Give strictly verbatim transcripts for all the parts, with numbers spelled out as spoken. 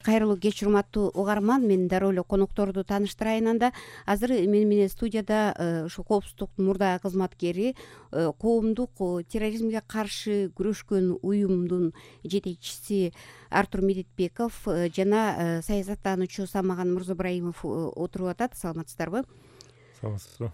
Кайрылуу кеч, урматтуу угарман, мен дароо эле конокторду тааныштырайын. Анда азыр мени менен студияда ушу коопсуздуктун мурдагы кызматкери, коомдук терроризмге каршы күрөшкөн уюмдун жетекчиси Артур Медетбеков жана саясаттануучу Самаган Мырзабраимов отуруп атат. Саламатсыздарбы? Саламатсызбы.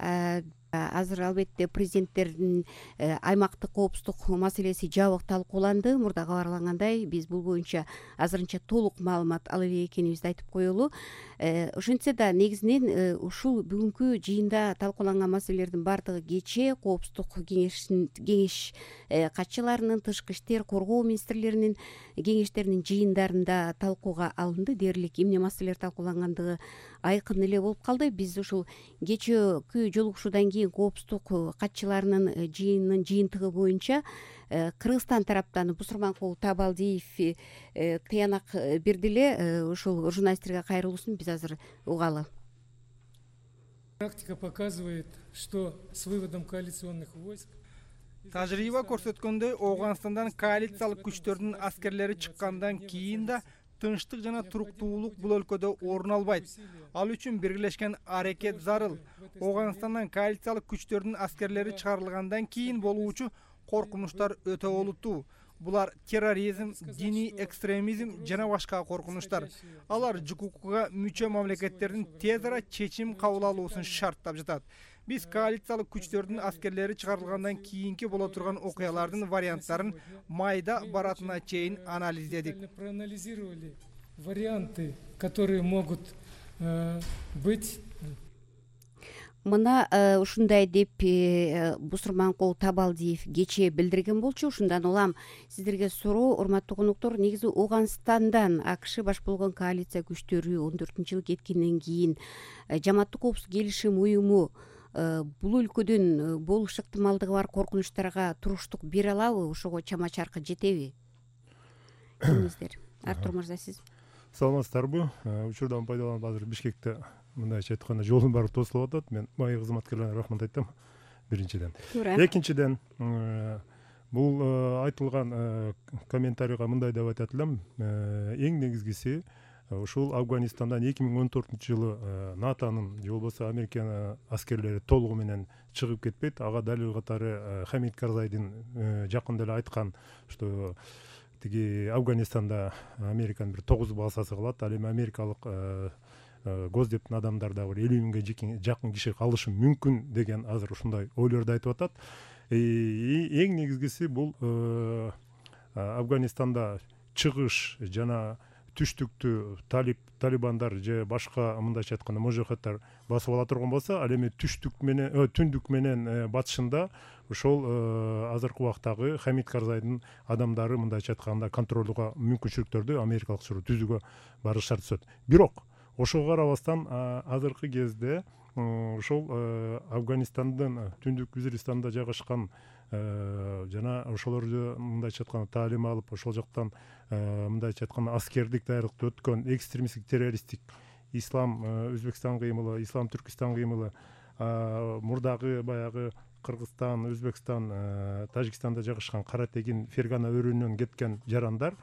Азыр албетте президенттердин аймактык коопсуздук маселеси жабык талкууланды. Мурда кабарлангандай, биз бул боюнча азырынча толук маалымат ала элек экенибизди айтып коелу. Ошентсе да негизинен ушул бүгүнкү жыйында талкууланган маселелердин баардыгы кечээ коопсуздук кеңеш катчыларынын, тышкы иштер, коргоо министрлеринин кеңештеринин жыйындарында талкууга алынды. Дээрлик эмне маселелер талкуулангандыгы айкын эле болуп калды. Биз ушул кечээкү жолугушуудан кийин коопсуздук катчыларынын жыйынынын жыйынтыгы боюнча Кыргызстан тараптан Бусурманкул Табалдиев тыянак берди эле. Ушул журналисттерге кайрылуусун биз азыр угалы. Практика показывает, что с выводом коалиционных войск тажрыйба көрсөткөндөй, Ооганстандан коалициялык күчтөрдүн аскерлери чыккандан кийин да тынчтык жана туруктуулук бул өлкөдө орун албайт. Ал үчүн биргелешкен аракет зарыл. Ооганстандан коалициялык күчтөрдүн аскерлери чыгарылгандан кийин болуучу коркунучтар өтө олуттуу. Булар терроризм, диний экстремизм жана башка коркунучтар. Алар ЖКУКга мүчө мамлекеттердин тез ара чечим кабыл алуусун шарттап жатат. Биз коалициялык күчтөрдүн аскерлери чыгарылгандан кийинки боло турган окуялардын варианттарын майда баратына чейин анализдедик. Проанализировали варианты, которые могут быть. Мына ушундай деп Бусурманкул Табалдиев кечээ билдирген болчу. Ушундан улам сиздерге суроо, урматтуу коноктор. Негизи Ооганстандан АКШ баш болгон коалиция күчтөрү он төртүнчү жылы кеткенден кийин Жамааттык коопсуздук келишим уюму бул өлкөдөн болуш ыктымалдыгы бар коркунучтарга туруштук бере алабы? Ошого чама чаркы жетеби? Эмнеңиздер? Артур мырза, сиз. Саламатсыздарбы? Учурдан пайдаланып азыр Бишкекте мындайча айтканда жолдун баары тосулуп атат. Мен майы кызматкерлерине рахмат айтам. Биринчиден. Экинчиден, бул айтылган комментарийга мындай деп айтат элем. Эң негизгиси ушул Афганистандан эки миң он төртүнчү жылы НАТОнун же болбосо Американын аскерлери толугу менен чыгып кетпейт. Ага далил катары Хамид Карзайдын жакында эле айткан, что тиги Афганистанда Американын бир тогуз базасы калат. Ал эми америкалык госдептин адамдар да бир элүү миңге жакын киши калышы мүмкүн деген азыр ушундай ойлорду айтып атат. Эң негизгиси бул Афганистанда чыгыш жана түштүктү талип талибандар же башка мындайча айтканда мужахеттер басып ала турган болсо, ал эми түштүк менен түндүк менен батышында ошол азыркы убактагы Хамид Карзайдын адамдары мындайча айтканда контролдуга мүмкүнчүлүктөрдү америкалык түзүүгө барыш шарт түзөт. Бирок ошого карабастан азыркы кезде ошол Афганистандын түндүк Визиристанда жайгашкан жана ошолорду мындайча айтканда таалим алып, ошол жактан мындайча айтканда аскердик даярдыкты өткөн экстремисттик террористтик ислам Өзбекстан кыймылы, ислам Түркистан кыймылы, мурдагы баягы Кыргызстан, Өзбекстан, Тажикстанда жайгашкан Каратегин, Фергана өрөөнүнөн кеткен жарандар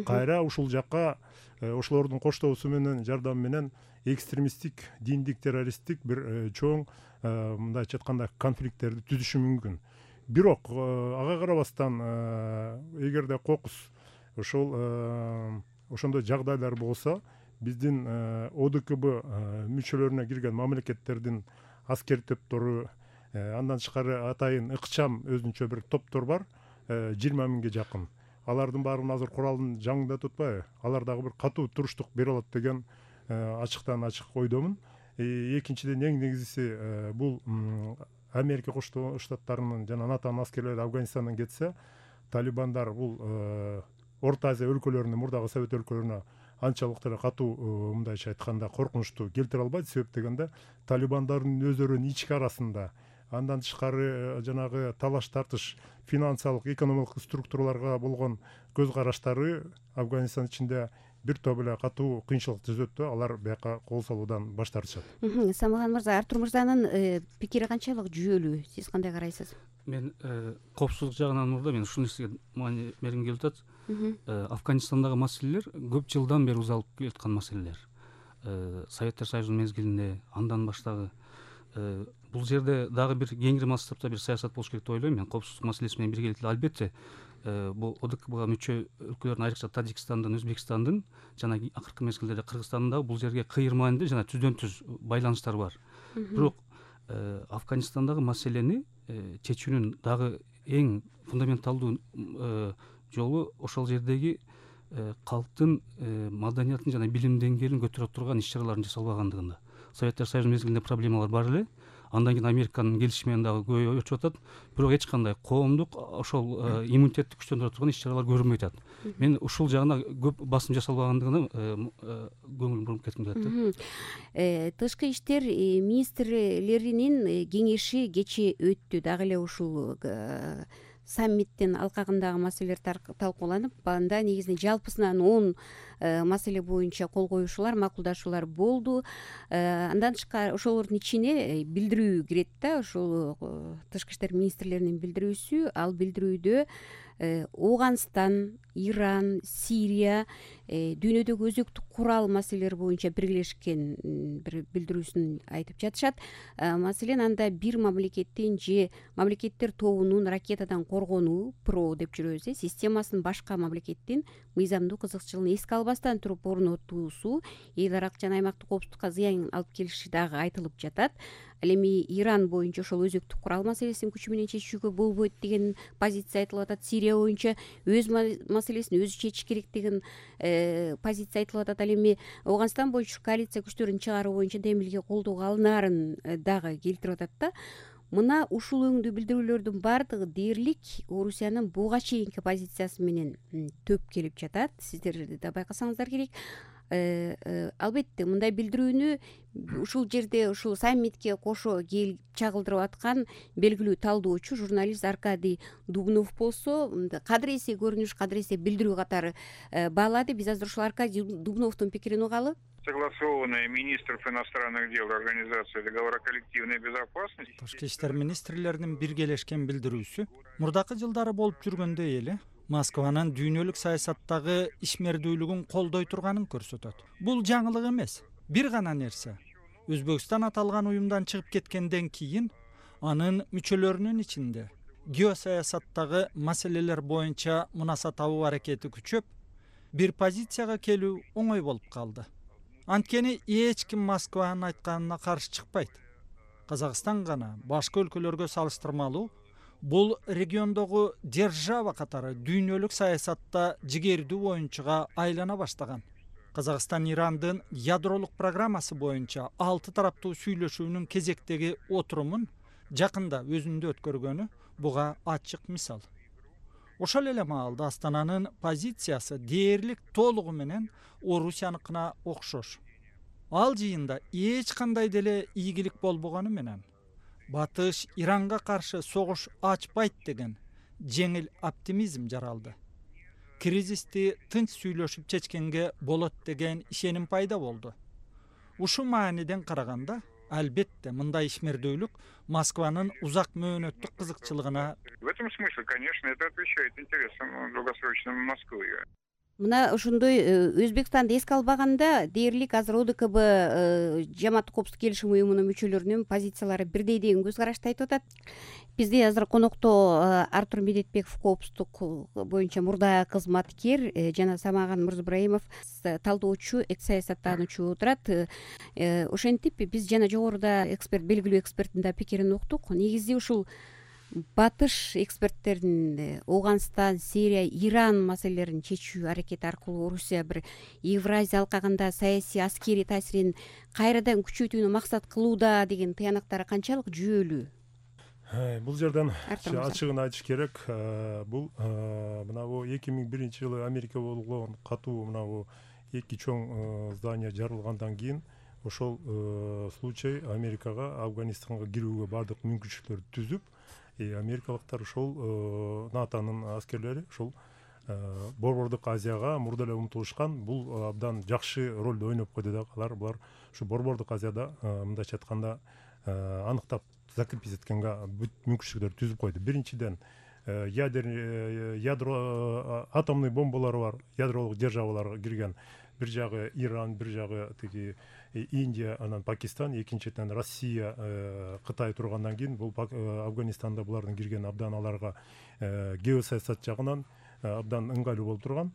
кайра ушул жакка ошолордун коштоосу менен, жардамы менен экстремисттик, диндик, террористтик бир чоң мындайча айтканда конфликттерди түзүшү мүмкүн. Бирок ага карабастан, эгерде кокус ошол ошондой жагдайлар болсо, биздин ОДКБ мүчөлөрүнө кирген мамлекеттердин аскер топтору, андан тышкары атайын ыкчам өзүнчө бир топтор бар, жыйырма миңге жакын. Алардын баарын азыр куралын жаңында тутпайбы? Алар дагы бир катуу туруштук бере алат деген ачыктан ачык ойдомун. Экинчиден, эң негизгиси бул Америка Коштоо Штаттарынын жана НАТОнун аскерлери Афганистандан кетсе, талибандар бул Орто Азия өлкөлөрүнө, мурдагы Совет өлкөлөрүнө анчалык деле катуу мындайча айтканда коркунучту келтире албайт. Себеп дегенде талибандардын өздөрүнүн ички арасында, андан тышкары жанагы талаш тартыш, финансылык, экономикалык структураларга болгон көз караштары Афганистан ичинде бир топ эле катуу кыйынчылык түзөт да, алар бияка кол салуудан баш тартышат. Самаган мырза, Артур мырзанын пикири канчалык жүйөлүү? Сиз кандай карайсыз? Мен коопсуздук жагынан мурда мен ушул нерсеге маани бергим келип атат. Афганистандагы маселелер көп жылдан бери узалып келаткан маселелер. Советтер Союзунун мезгилинде андан баштагы бул жерде дагы бир кеңири масштабта бир саясат болуш керек деп ойлойм мен. Коопсуздук маселеси менен бирге эле албетте бул ОДКБга мүчө өлкөлөрдүн айрыкча Тажикстандын, Өзбекстандын жана акыркы мезгилдерде Кыргызстандын дагы бул жерге кыйырманды жана түздөн түз байланыштары бар. Бирок Афганистандагы маселени чечүүнүн дагы эң фундаменталдуу жолу ошол жердеги калктын маданиятын жана билим деңгээлин көтөрө турган иш чаралардын жасалбагандыгында. Советтер Союзу мезгилинде проблемалар бар эле. Андан кийин Американын келишими менен дагы көбөйүп атат. Бирок эч кандай коомдук ошол иммунитетти күчтөндүрө турган иш чаралар көрүнбөй атат. Мен ушул жагына көп басым жасалбагандыгына көңүл буруп кетким келет. Тышкы иштер министрлеринин кеңеши кечээ өттү. Дагы эле ушул саммиттин алкагындагы маселелер талкууланып, анда негизинен жалпысынан он маселе боюнча кол коюшуулар, макулдашуулар болду. Андан тышкары ошолордун ичине билдирүү кирет да, ошол тышкы иштер министрлеринин билдирүүсү. Ал билдирүүдө Ооганстан, Иран, Сирия дүйнөдөгү өзөктүк курал маселелери боюнча биргелешкен бир билдирүүсүн айтып жатышат. Маселен, анда бир мамлекеттин же мамлекеттер тобунун ракетадан коргонуу ПРО деп жүрөбүз, системасын башка мамлекеттин мыйзамдуу кызыкчылыгын эске албастан туруп орнотуусу эл аралык жана аймактык коопсуздукка зыян алып келиши дагы айтылып жатат. Ал эми Иран боюнча ошол өзөктүк курал маселесин күчү менен чечүүгө болбойт деген позиция айтылып атат. Сирия боюнча өз маселесин өзү чечиш керек деген позиция айтылып атат. Ал эми Ооганстан боюнча коалиция күчтөрүн чыгаруу боюнча демилге колдоого алынаарын дагы келтирип атат да. Мына ушул өңдүү билдирүүлөрдүн баардыгы дээрлик Орусиянын буга чейинки позициясы менен төп келип жатат. Сиздер да байкасаңыздар керек. Албетте мындай билдирүүнү ушул жерде ушул саммитке кошо келип чагылдырып аткан белгилүү талдоочу журналист Аркадий Дубнов болсо, кадыр эсе көрүнүш, кадыр эсе билдирүү катары баалады. Биз азыр ушул Аркадий Дубновдун пикирин угалы. Согласованные министров иностранных дел Организации договора коллективной безопасности. Тышкы иштер министрлеринин биргелешкен билдирүүсү мурдакы жылдары болуп жүргөндөй эле Москванын дүйнөлүк саясаттагы ишмердүүлүгүн колдой турганын көрсөтөт. Бул жаңылык эмес. Бир гана нерсе. Өзбекстан аталган уюмдан чыгып кеткенден кийин анын мүчөлөрүнүн ичинде геосаясаттагы маселелер боюнча мунаса табуу аракети күчөп, бир позицияга келүү оңой болуп калды. Анткени эч ким Москванын айтканына каршы чыкпайт. Казакстан гана башка өлкөлөргө салыштырмалуу бул региондогу держава катары дүйнөлүк саясатта жигердүү оюнчуга айлана баштаган. Казакстан Ирандын ядролук программасы боюнча алты тараптуу сүйлөшүүнүн кезектеги отурумун жакында өзүндө өткөргөнү буга ачык мисал. Ошол эле маалда Астананын позициясы дээрлик толугу менен Орусияныкына окшош. Ал жыйында эч кандай деле ийгилик болбогону менен Батыш Иранга каршы согуш ачпайт деген жеңил оптимизм жаралды. Кризисти тынч сүйлөшүп чечкенге болот деген ишеним пайда болду. Ушул мааниден караганда, албетте мындай ишмердүүлүк Москванын узак мөөнөттүк кызыкчылыгына. В этом смысле, конечно, это отвечает интересам долгосрочным Москвы. Мына ошондой Өзбекстанды эске албаганда дээрлик азыр ОДКБ жамааттык коопсуздук келишим уюмунун мүчөлөрүнүн позициялары бирдей деген көз карашты айтып атат. Бизде азыр конокто Артур Медетбеков коопсуздук боюнча мурда кызматкер жана Самаган Мырзыбраимов талдоочу, экс саясаттануучу отурат. Ошентип биз жана жогоруда эксперт, белгилүү эксперттин да пикирин уктук. Негизи ушул батыш эксперттердин Ооганстан, Сирия, Иран маселелерин чечүү аракети аркылуу Орусия бир Евразия алкагында саясий аскерий таасирин кайрадан күчөйтүүнү максат кылууда деген тыянактары канчалык жүйөлүү? Бул жерден ачыгын айтыш керек. Бул мына бу эки миң биринчи жылы Америка болгон катуу мына бу эки чоң здание жарылгандан кийин ошол случай Америкага Афганистанга кирүүгө бардык мүмкүнчүлүктөрдү түзүп, америкалыктар ошол НАТОнун аскерлери ошол Борбордук Азияга мурда эле умтулушкан. Бул абдан жакшы ролду ойноп койду да. Алар булар ушу Борбордук Азияда мындайча айтканда аныктап закрепить эткенге бүт мүмкүнчүлүктөрдү түзүп койду. Биринчиден ядерный ядро атомный бомбалары бар ядролук державаларга кирген. Бир жагы Иран, бир жагы тиги Индия, анан Пакистан, экинчиден Россия, Кытай тургандан кийин бул Афганистанда булардын кирген абдан аларга геосаясат жагынан абдан ыңгайлуу болуп турган.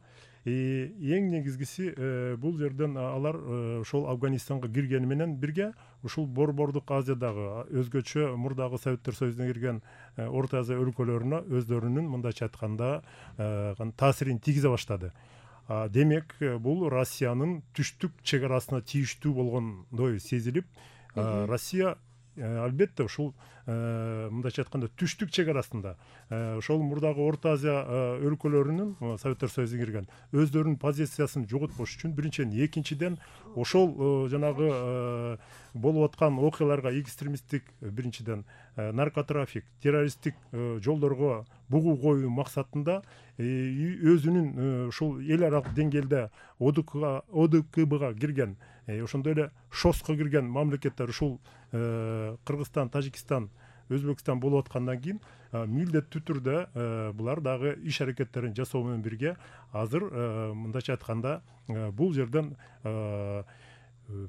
Эң негизгиси бул жерден алар ошол Афганистанга киргени менен бирге ушул Борбордук Азиядагы өзгөчө мурдагы Советтер Союзуна кирген Орто Азия өлкөлөрүнө өздөрүнүн мындайча айтканда таасирин тийгизе баштады. Демек, бул Россиянын түштүк чек арасына тийиштүү болгондой сезилип, Россия албетте ушул мындайча айтканда түштүк чек арасында ошол мурдагы Орто Азия өлкөлөрүнүн Советтер Союзуна кирген өздөрүнүн позициясын жоготпош үчүн биринчиден, экинчиден ошол жанагы болуп аткан окуяларга экстремисттик биринчиден наркотрафик, террористтик жолдорго бугуу коюу максатында өзүнүн ушул эл аралык деңгээлде О Д К Бга кирген, ошондой эле ШОСко кирген мамлекеттер ушул Кыргызстан, Тажикстан, Өзбекстан болуп аткандан кийин милдеттүү түрдө булар дагы иш аракеттерин жасоо менен бирге азыр мындайча айтканда бул жерден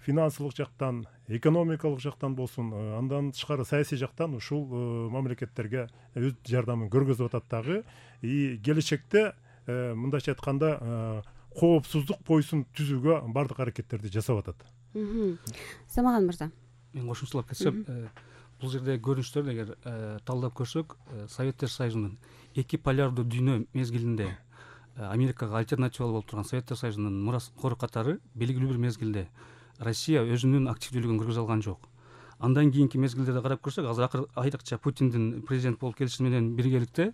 финансылык жактан, экономикалык жактан болсун, андан тышкары саясий жактан ушул мамлекеттерге өз жардамын көргөзүп атат дагы. И келечекте мындайча айтканда коопсуздук поясын түзүүгө бардык аракеттерди жасап атат. Самаган мырза. Мен кошумчалап кетсем, бул жерде көрүнүштөрдү эгер талдап көрсөк, Советтер Союзунун эки полярдуу дүйнө мезгилинде Америкага альтернатива болуп турган Советтер Союзунун мураскору катары белгилүү бир мезгилде Россия өзүнүн активдүүлүгүн көргөзө алган жок. Андан кийинки мезгилдерде карап көрсөк, азыр айрыкча Путиндин президент болуп келиши менен биргеликте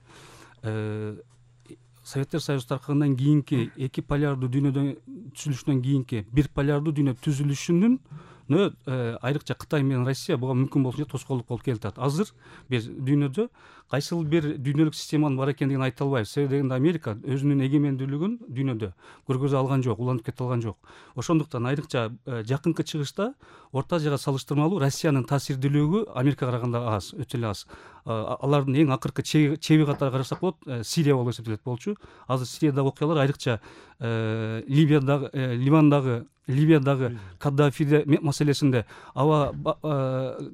Советтер Союзу таркагандан кийинки эки полярдуу дүйнөдөн түзүлүшүнөн кийинки бир полярдуу дүйнө түзүлүшүнүн айрыкча Кытай менен Россия буга мүмкүн болушунча тоскоолдук болуп келатат. Азыр биз дүйнөдө кайсыл бир дүйнөлүк системанын бар экендигин айта албайбыз. Себеби дегенде Америка өзүнүн эгемендүүлүгүн дүйнөдө көргөзө алган жок, уланып кете алган жок. Ошондуктан айрыкча жакынкы чыгышта Орто Азияга салыштырмалуу Россиянын таасирдүүлүгү Америкага караганда аз, өтө эле аз. Алардын эң акыркы чеби катары карасак болот, Сирия болуп эсептелет болчу. Азыр Сириядагы окуялар айрыкча Ливиядагы, Ливандагы Ливиядагы Каддафи маселесинде аба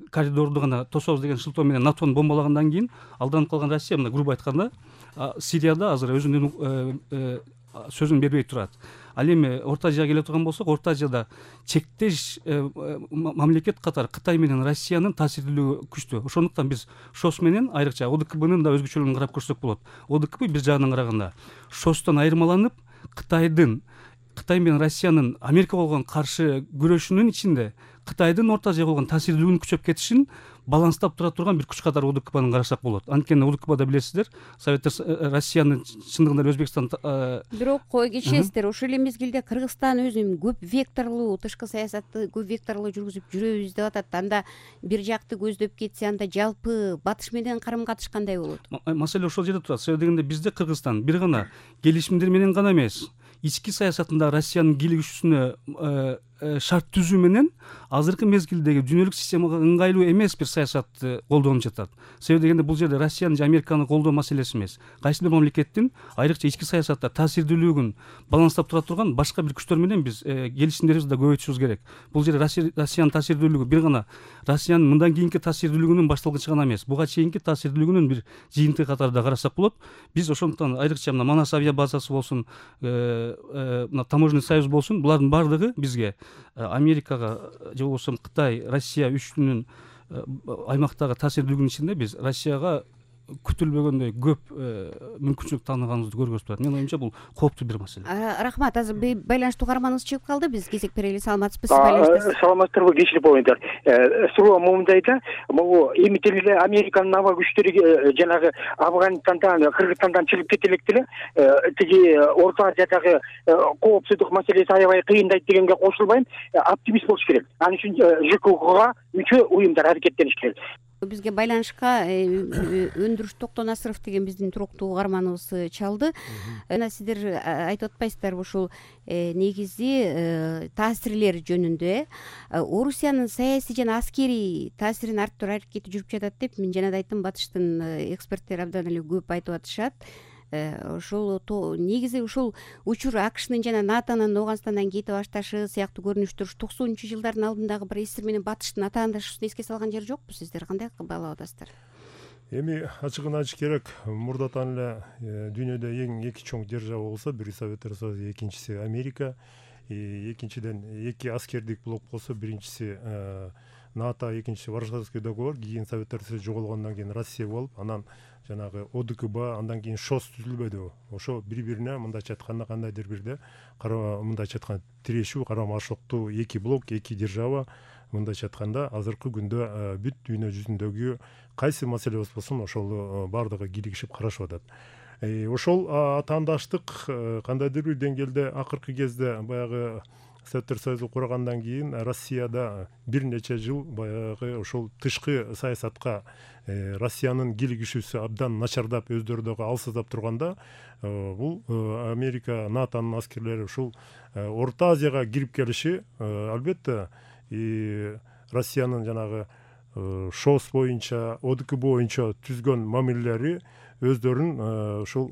коридорду гана тособуз деген шылтоо менен НАТОну бомбалагандан кийин алданып калган Россия, мына грубо айтканда, Сирияда азыр өзүнүн сөзүн бербей турат. Ал эми Орто Азияга келе турган болсок, Орто Азияда чектеш мамлекет катары Кытай менен Россиянын таасирдүүлүгү күчтүү. Ошондуктан биз ШОС менен айрыкча О Д К Бнын да өзгөчөлүгүн карап көрсөк болот. О Д К Б бир жагынан караганда ШОСтон айырмаланып, Кытайдын Кытай менен Россиянын Америкага болгон каршы күрөшүнүн ичинде Кытайдын Орто Азияга болгон таасирдүүлүгүнүн күчөп кетишин баланстап тура турган бир күч катары О Д К Бны карасак болот. Анткени О Д К Бда билесиздер, Советтер Россиянын чындыгында Өзбекстан бирок кой кечесиздер, ошол эле мезгилде Кыргызстан өзүнүн көп векторлуу тышкы саясатты көп векторлуу жүргүзүп жүрөбүз деп атат. Анда бир жакты көздөп кетсе, анда жалпы батыш менен карым катыш кандай болот? Маселе ошол жерде турат. Себеби дегенде бизде Кыргызстан бир гана келишимдер менен гана эмес, ички саясатында Россиянын кийлигишүүсүнө шарт түзүү менен азыркы мезгилдеги дүйнөлүк системага ыңгайлуу эмес бир саясатты колдонуп жатат. Себеби дегенде бул жерде Россиянын же Американы колдоо маселеси эмес. Кайсы бир мамлекеттин айрыкча ички саясатта таасирдүүлүгүн баланстап тура турган башка бир күчтөр менен биз келишимдерибизди да көбөйтүшүбүз керек. Бул жерде Россиянын таасирдүүлүгү бир гана Россиянын мындан кийинки таасирдүүлүгүнүн башталгычы гана эмес, буга чейинки таасирдүүлүгүнүн бир жыйынтыгы катары да карасак болот. Биз ошондуктан айрыкча мына Манас авиа базасы болсун, мына таможенный союз болсун, булардын баардыгы бизге Америкага же болбосо Кытай, Россия үчүнүн аймактагы таасирдүүлүгүнүн ичинде биз Россияга күтүлбөгөндөй көп мүмкүнчүлүк тааныганыбызды көргөзүп турат. Менин оюмча бул кооптуу бир маселе. Рахмат. Азыр байланыштуу каарманыбыз чыгып калды. Биз кезек берели. Саламатсызбы? Сиз байланыштасыз. Саламаттырбы, кечирип коюңуздар. Суроо момундайда, могу эми деле Американын аба күчтөрү жанагы Афганистандан, Кыргызстандан чыгып кете элек деле, тиги Орто Азиядагы коопсуздук маселеси аябай кыйындайт дегенге кошулбайм, оптимист болуш керек. Ал үчүн Ж К К Га мүчө уюмдар аракеттениш керек. Бизге байланышка Өндүрүш Токтонасыров деген биздин туруктуу угарманыбыз чалды. Жана сиздер айтып атпайсыздарбы ушул негизи таасирлери жөнүндө Орусиянын саясий жана аскерий таасирин арттыруу аракети жүрүп жатат деп мен жана да айттым, батыштын эксперттери абдан эле көп айтып атышат. Ошол негизи ушул учур АКШнын жана НАТОнун Ооганстандан кетип башташы сыяктуу көрүнүштөр токсонунчу жылдардын алдындагы бир эсир менен батыштын атаандашуусун эске салган жери жокпу? Сиздер кандай баалап атасыздар? Эми ачыгын айтыш керек, мурдатан эле дүйнөдө эң эки чоң держава болсо, бири Советтер Союзу, экинчиси Америка. Экинчиден эки аскердик блок болсо, биринчиси НАТО, экинчиси Варшавский договор, кийин Советтер Союзу жоголгондон кийин Россия болуп, анан жанагы ОДКБ, андан кийин ШОС түзүлбөдү. Ошо бири-бирине мындайча айтканда кандайдыр бирде мындайча айтканда тирешүү, карама-каршылыктуу эки блок, эки держава мындайча айтканда азыркы күндө бүт дүйнө жүзүндөгү кайсы маселе болсун ошол баардыгы киригишип карашып атат. Ошол атаандаштык кандайдыр бир деңгээлде акыркы кезде баягы Советтер Союзу кургандан кийин Россияда бир нече жыл баягы ошол тышкы саясатка Россиянын киригишүүсү абдан начардап, өздөрү дагы алсыздап турганда, бул Америка, НАТОнун аскерлери ушул Орто Азияга кирип келиши албетте Россиянын жанагы ШОС боюнча, ОДКБ боюнча түзгөн мамилелери өздөрүн ушул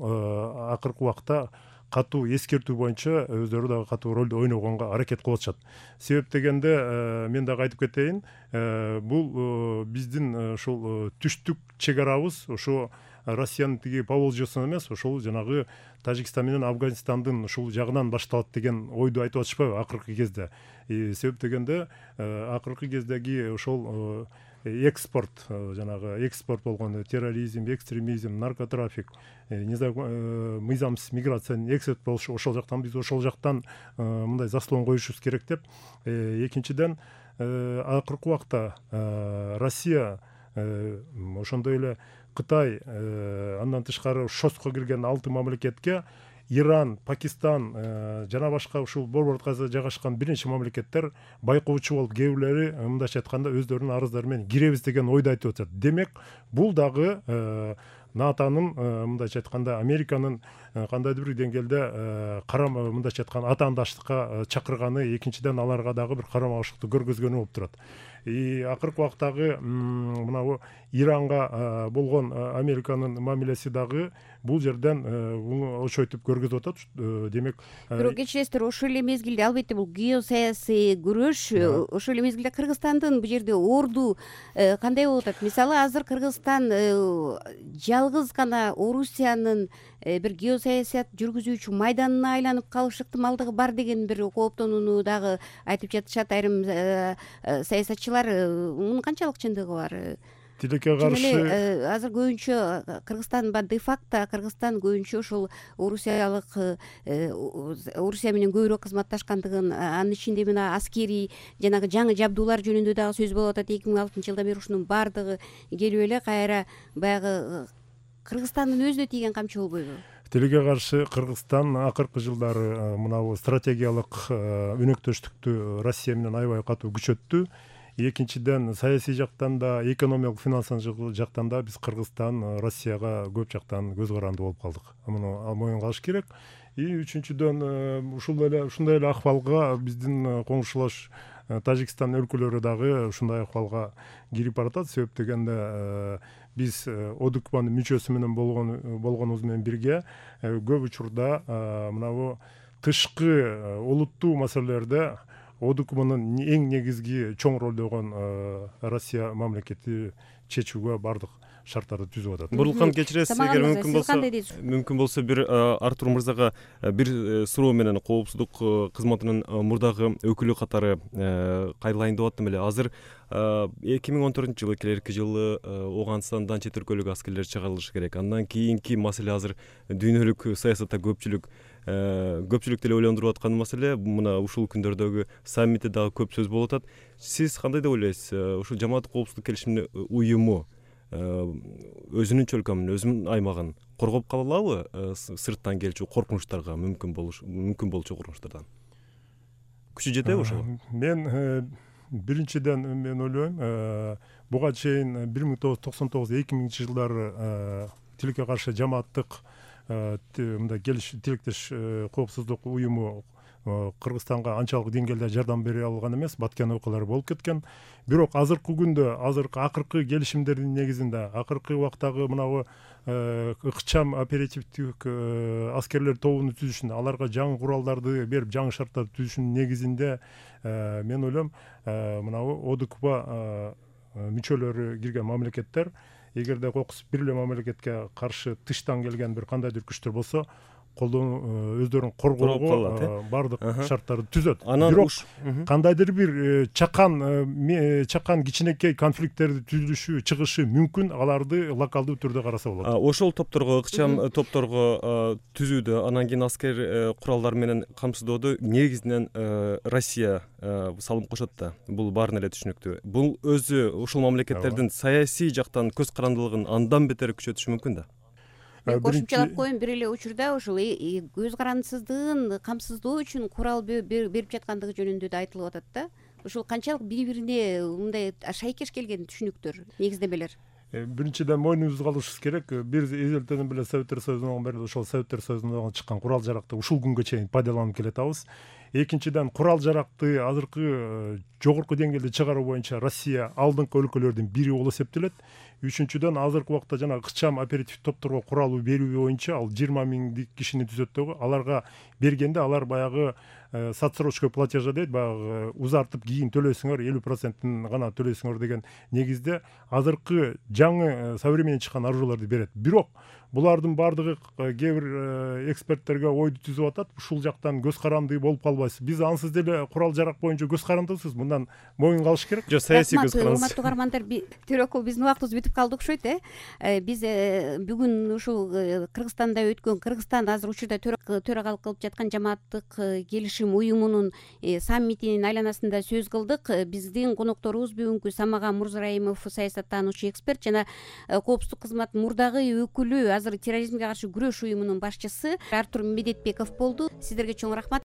акыркы убакта катуу эскертүү боюнча өздөрү дагы катуу ролду ойногонго аракет кылып атышат. Себеп дегенде мен дагы айтып кетейин, бул биздин ушул түштүк чек арабыз ошо Россиянын тиги Поволжьесунан эмес, ошол жанагы Тажикстан менен Афганистандын ушул жагынан башталат деген ойду айтып атышпайбы акыркы кезде. Себеп дегенде акыркы кездеги ошол экспорт, жанагы экспорт болгон терроризм, экстремизм, наркотрафик, мыйзамсыз миграциянын экспорт болушу, ошол жактан биз ошол жактан мындай заслон коюшубуз керек деп. Экинчиден, акыркы убакта Россия ошондой эле Кытай, андан тышкары ШОСко кирген алты мамлекетке Иран, Пакистан жана башка ушул борбордук жайгашкан бир нече мамлекеттер байкоочу болуп, кээ бирлери мындайча айтканда өздөрүнүн арыздары менен киребиз деген ойду айтып атат. Демек, бул дагы НАТОнун мындайча айтканда Американын кандайдыр бир деңгээлде карам мындайча айтканда атаандаштыкка чакырганы, экинчиден аларга дагы бир карама-каршылыкты көргөзгөнү болуп турат. Акыркы убактагы мына Иранга болгон Американын мамилеси дагы бул жерден очойтуп көргөзүп атат. Демек, бирок кечиресиздер, ошол эле мезгилде албетте бул геосаясий күрөш, ошол эле мезгилде Кыргызстандын бул жерде орду кандай болуп атат? Мисалы, азыр Кыргызстан жалгыз гана Орусиянын бир геосаясат жүргүзүүчү майданына айланып калыш ыктымалдыгы бар деген бир кооптонууну дагы айтып жатышат айрым саясатчылар. Мунун канчалык чындыгы бар? Тилекке каршы азыр көбүнчө Кыргызстан де факто Кыргызстан көбүнчө ошол Орусиялык Орусия менен көбүрөөк кызматташкандыгын, анын ичинде мына аскерий жанагы жаңы жабдуулар жөнүндө дагы сөз болуп атат. эки миң алтынчы жылдан бери ушунун баардыгы келип эле кайра баягы Кыргызстандын өзүнө тийген камчы болбойбу? Тилекке каршы Кыргызстан акыркы жылдары мына стратегиялык өнөктөштүктү Россия менен аябай катуу күчөттү. Экинчиден, саясий жактан да, экономикалык финансылык жактан да биз Кыргызстан Россияга көп жактан көз каранды болуп калдык. Муну моюн кылыш керек. И үчүнчүдөн, ушул эле ушундай эле акыбалга биздин коңшулаш Тажикстан өлкөлөрү дагы ушундай акыбалга кирип баратат. Себеп дегенде биз ОДКБнын мүчөсү менен болгон болгонубуз менен бирге көп учурда мына тышкы олуттуу маселелерде ОДКБнын эң негизги чоң ролдогон Россия мамлекети чечүүгө бардык шарттарды түзүп атат. Бурлукан, кечиресиз, эгер мүмкүн болсо, мүмкүн болсо бир Артур мырзага бир суроо менен коопсуздук кызматынын мурдагы өкүлү катары кайрылайын деп аттым эле. Азыр эки миң он төртүнчү жылы, келерки жылы Ооганстандан чет өлкөлүк аскерлер чыгарылышы керек. Андан кийинки маселе азыр дүйнөлүк саясатта көпчүлүк көпчүлүктү эле ойлондуруп аткан маселе. Мына ушул күндөрдөгү саммитте дагы көп сөз болуп атат. Сиз кандай деп ойлойсуз? Ушул жамааттык коопсуздук келишиминин уюму өзүнүн чөлкөмүн, өзүнүн аймагын коргоп кала алабы сырттан келчү коркунучтарга, мүмкүн болуш мүмкүн болчу коркунучтардан? Күчү жетеби ошого? Мен биринчиден мен ойлойм буга чейин бир миң тогуз жүз токсон тогуз эки миңинчи жылдары тилекке каршы жамааттык мындай тилектеш коопсуздук уюму Кыргызстанга анчалык деңгээлде жардам бере алган эмес, баткен окуялар болуп кеткен. Бирок азыркы күндө, азыркы акыркы келишимдердин негизинде, акыркы убактагы мынабу ыкчам оперативдик аскерлер тобун түзүшүн, аларга жаңы куралдарды берип, жаңы шарттарды түзүшүнүн негизинде мен ойлойм мынабу ОДКБ мүчөлөрү кирген мамлекеттер, эгерде кокус бир эле мамлекетке каршы тыштан келген бир кандайдыр күчтөр болсо, колдон өздөрүн коргоого баардык шарттарды түзөт. Бирок кандайдыр бир чакан чакан кичинекей конфликттерди түзүлүшү, чыгышы мүмкүн, аларды локалдуу түрдө караса болот. Ошол топторго, ыкчам топторго түзүүдө, анан кийин аскер куралдар менен камсыздоодо негизинен Россия салым кошот да. Бул баарына эле түшүнүктүү. Бул өзү ушул мамлекеттердин саясий жактан көз карандылыгын андан бетер күчөтүшү мүмкүн да. Мен кошумчалап коеюн, бир эле учурда ушул көз карандысыздыгын камсыздоо үчүн курал берип жаткандыгы жөнүндө да айтылып атат да. Ушул канчалык бири бирине мындай шайкеш келген түшүнүктөр, негиздемелер? Биринчиден мойнубузга алышыбыз керек. Бир эзелтеден беле Советтер Союзунан бери ошол Советтер Союзунан чыккан курал жаракты ушул күнгө чейин пайдаланып келатабыз. Экинчиден, курал жаракты азыркы жогорку деңгээлде чыгаруу боюнча Россия алдыңкы өлкөлөрдүн бири болуп эсептелет. Үчүнчүдөн, азыркы убакта жана ыкчам оперативдик топторго курал берүү боюнча ал жыйырма миңдик кишини түзөт дагы. Аларга бергенде алар баягы садсрочкой платежа дейт, баягы узартып кийин төлөсүңөр, элүү процентин гана төлөсүңөр деген негизде азыркы жаңы современный чыккан оружияларды берет. Бирок булардын баардыгы кээ бир эксперттерге ойду түзүп атат. Ушул жактан көз каранды болуп калбайсыз. Биз ансыз деле курал жарак боюнча көз карандысыз. Мындан моюн калыш керек. Жок, саясий көз карандысыз. Урматтуу угармандар, Төрөкул, биздин убактыбыз бүтүп калды окшойт, э? Биз бүгүн ушул Кыргызстанда өткөн, Кыргызстан азыр учурда төрагалык кылып жаткан жамааттык келишим уюмунун саммитинин айланасында сөз кылдык. Биздин конокторубуз бүгүнкү Самаган Мурзарайымов, саясаттануучу эксперт жана коопсуздук кызмат мурдагы өкүлү, азыр терроризмге каршы күрөш уюмунун башчысы Артур Медетбеков болду. Сиздерге чоң рахмат.